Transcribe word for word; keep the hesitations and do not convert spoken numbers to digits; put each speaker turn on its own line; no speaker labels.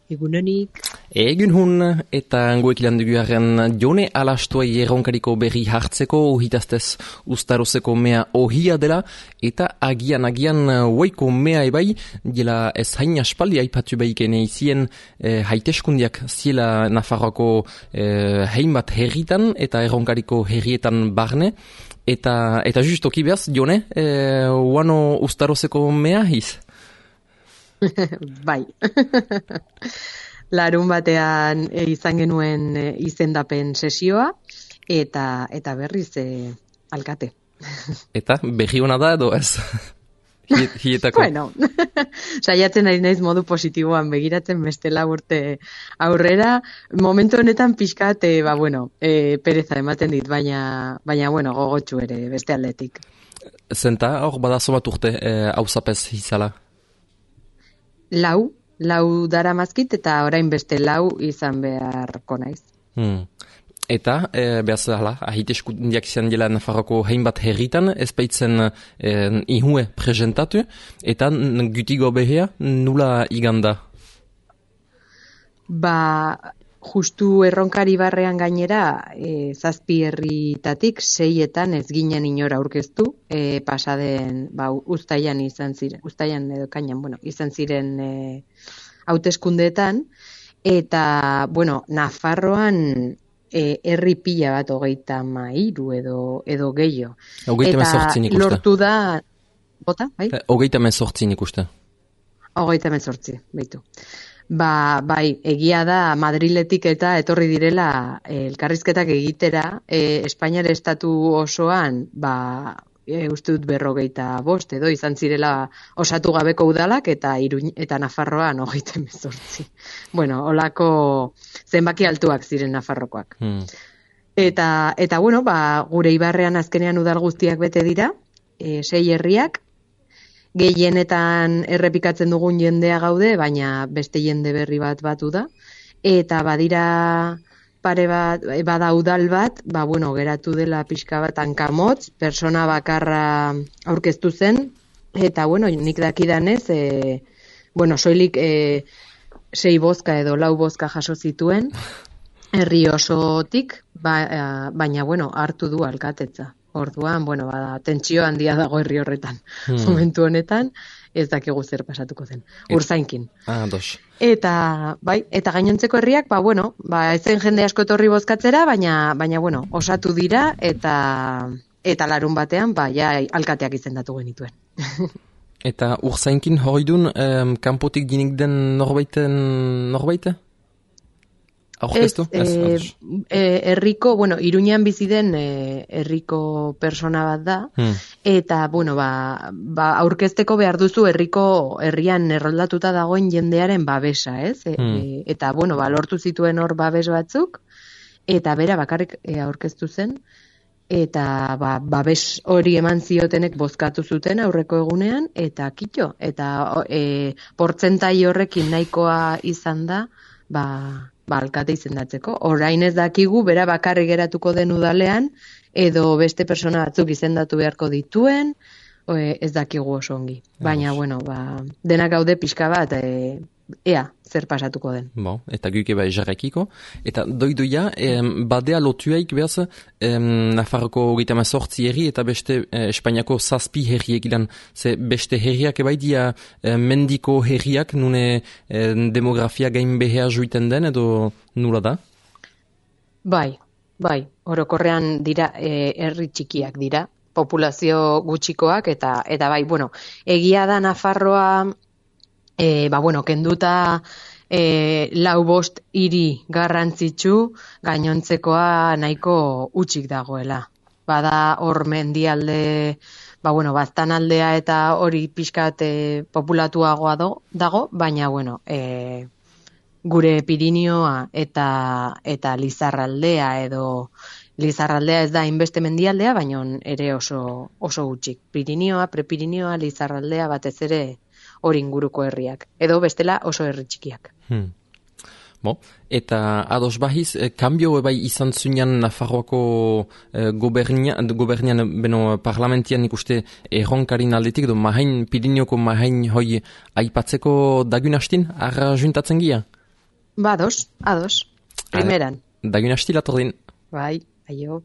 Egunonik.
Egun hun, eta goek ilan duguaren Jone Alastuai erronkariko berri hartzeko, ohitaztez ustarozeko mea ohia dela, eta agian-agian huaiko mea ebai, dela ez hain aspaldi aipatu behikene izien eh, haiteskundiak ziela Nafarroako eh, hainbat herritan, eta erronkariko herrietan barne, eta eta justoki behaz, Jone, eh, uano ustarozeko mea hiz?
Bai. Larun batean e, izan genuen e, izendapen sesioa eta eta berriz e, alkate.
Eta berri hona da edo ez? Hietako.
Bueno, saiatzen ari naiz modu positiboan begiratzen bestela urte aurrera. Momentu honetan pixkat, e, ba bueno, e, pereza ematen dit, baina baina bueno, gogotsu ere beste aldetik.
Zenta, hor badazo bat urte hauzapez e, izala?
Lau, lau dara mazkit eta orain beste lau izan beharko naiz.
Hmm. Eta, e, behaz, hala, ahiteskundiak izan dela Nafarroko hainbat herritan, ez baitzen e, ihue presentatu, eta gutigo behea nula iganda? Ba,
justu erronkari barrean gainera, e, zazpi herritatik seietan ez ginen inora aurkeztu, e, pasaden, ba, uztailan izan ziren, uztailan edo kainan, bueno, izan ziren e, hauteskundeetan, eta, bueno, Nafarroan e, herri pila bat hogeita mairu edo, edo gehiago.
Eta
lortu da, bota, bai?
Hogeita mezortzin ikuste.
Hogeita mezortzi, behitu. Ba, bai, egia da Madriletik eta etorri direla e, elkarrizketak egitera, e, Espainiar estatu osoan, ba, e, uste dut berrogeita bost, edo izan zirela osatu gabeko udalak eta Iruñ, eta Nafarroan hogeita hemezortzi. Bueno, holako zenbaki altuak ziren Nafarrokoak. Hmm. Eta, eta bueno, ba, gure ibarrean azkenean udal guztiak bete dira, e, sei herriak, gehienetan errepikatzen dugun jendea gaude, baina beste jende berri bat batu da. Eta badira pare bat, bada udal bat, ba bueno, geratu dela pixka bat hankamotz, persona bakarra aurkeztu zen, eta bueno, nik dakidanez, e, bueno, soilik e, sei bozka edo lau bozka jaso zituen, herri osotik, ba, baina bueno, hartu du alkatetza. Orduan, bueno, bada, tentsio handia dago herri horretan. Hmm. Momentu honetan, ez dakigu zer pasatuko zen. Urzainkin.
Ah, dos.
Eta, bai, eta gainontzeko herriak, ba, bueno, ba, ez zen jende asko etorri bozkatzera, baina, baina, bueno, osatu dira, eta, eta larun batean, ba, ja, alkateak izendatu genituen.
Eta Urzainkin hori dun, um, kanpotik dinik den norbaiten, norbaite?
Ez, eh, eh, herriko, bueno, Iruñean bizi den eh, herriko persona bat da, hmm. eta, bueno, ba, ba, aurkezteko behar duzu herriko herrian erroldatuta dagoen jendearen babesa, ez? E, hmm. e, eta, bueno, ba, lortu zituen hor babes batzuk, eta bera bakarrik e, aurkeztu zen, eta ba, babes hori eman ziotenek bozkatu zuten aurreko egunean, eta kitxo, eta e, portzentai horrekin nahikoa izan da, ba, ba, alkate izendatzeko. Orain ez dakigu, bera bakarrik geratuko den udalean, edo beste persona batzuk izendatu beharko dituen, ez dakigu oso ongi. Baina, bueno, ba, denak gaude pixka bat, e, ea, zer pasatuko den.
Bo, eta guke bai jarrekiko. Eta doidoia, em, badea lotuaik behaz, em, Nafarroko hogeita hemezortzi herri eta beste eh, Espainiako zazpi herriek ilan. Ze beste herriak ebai dia eh, mendiko herriak nune eh, demografia gain behea juiten den edo nula da?
Bai, bai. Orokorrean dira eh, herri txikiak dira, populazio gutxikoak eta eta bai, bueno, egia da Nafarroa E, ba, bueno, kenduta e, lau bost hiri garrantzitsu, gainontzekoa nahiko utxik dagoela. Bada hor mendialde, ba, bueno, baztanaldea eta hori pixkat e, populatuagoa do, dago, baina, bueno, e, gure Pirinioa eta, eta Lizarraldea edo Lizarraldea ez da inbeste mendialdea, baina ere oso, oso utxik. Pirinioa, Prepirinioa, Lizarraldea batez ere hori inguruko herriak, edo bestela oso herri txikiak.
Hmm. Bo, eta ados bahiz, eh, kambio bai izan zunean Nafarroako eh, gobernian, gobernian beno parlamentian ikuste erronkarin aldetik, edo mahain, Pirineoko mahain hoi aipatzeko dagun hastin, arra juntatzen gia?
Ba, ados, ados. Primeran.
Dagun hasti latordin.
Bai, aio.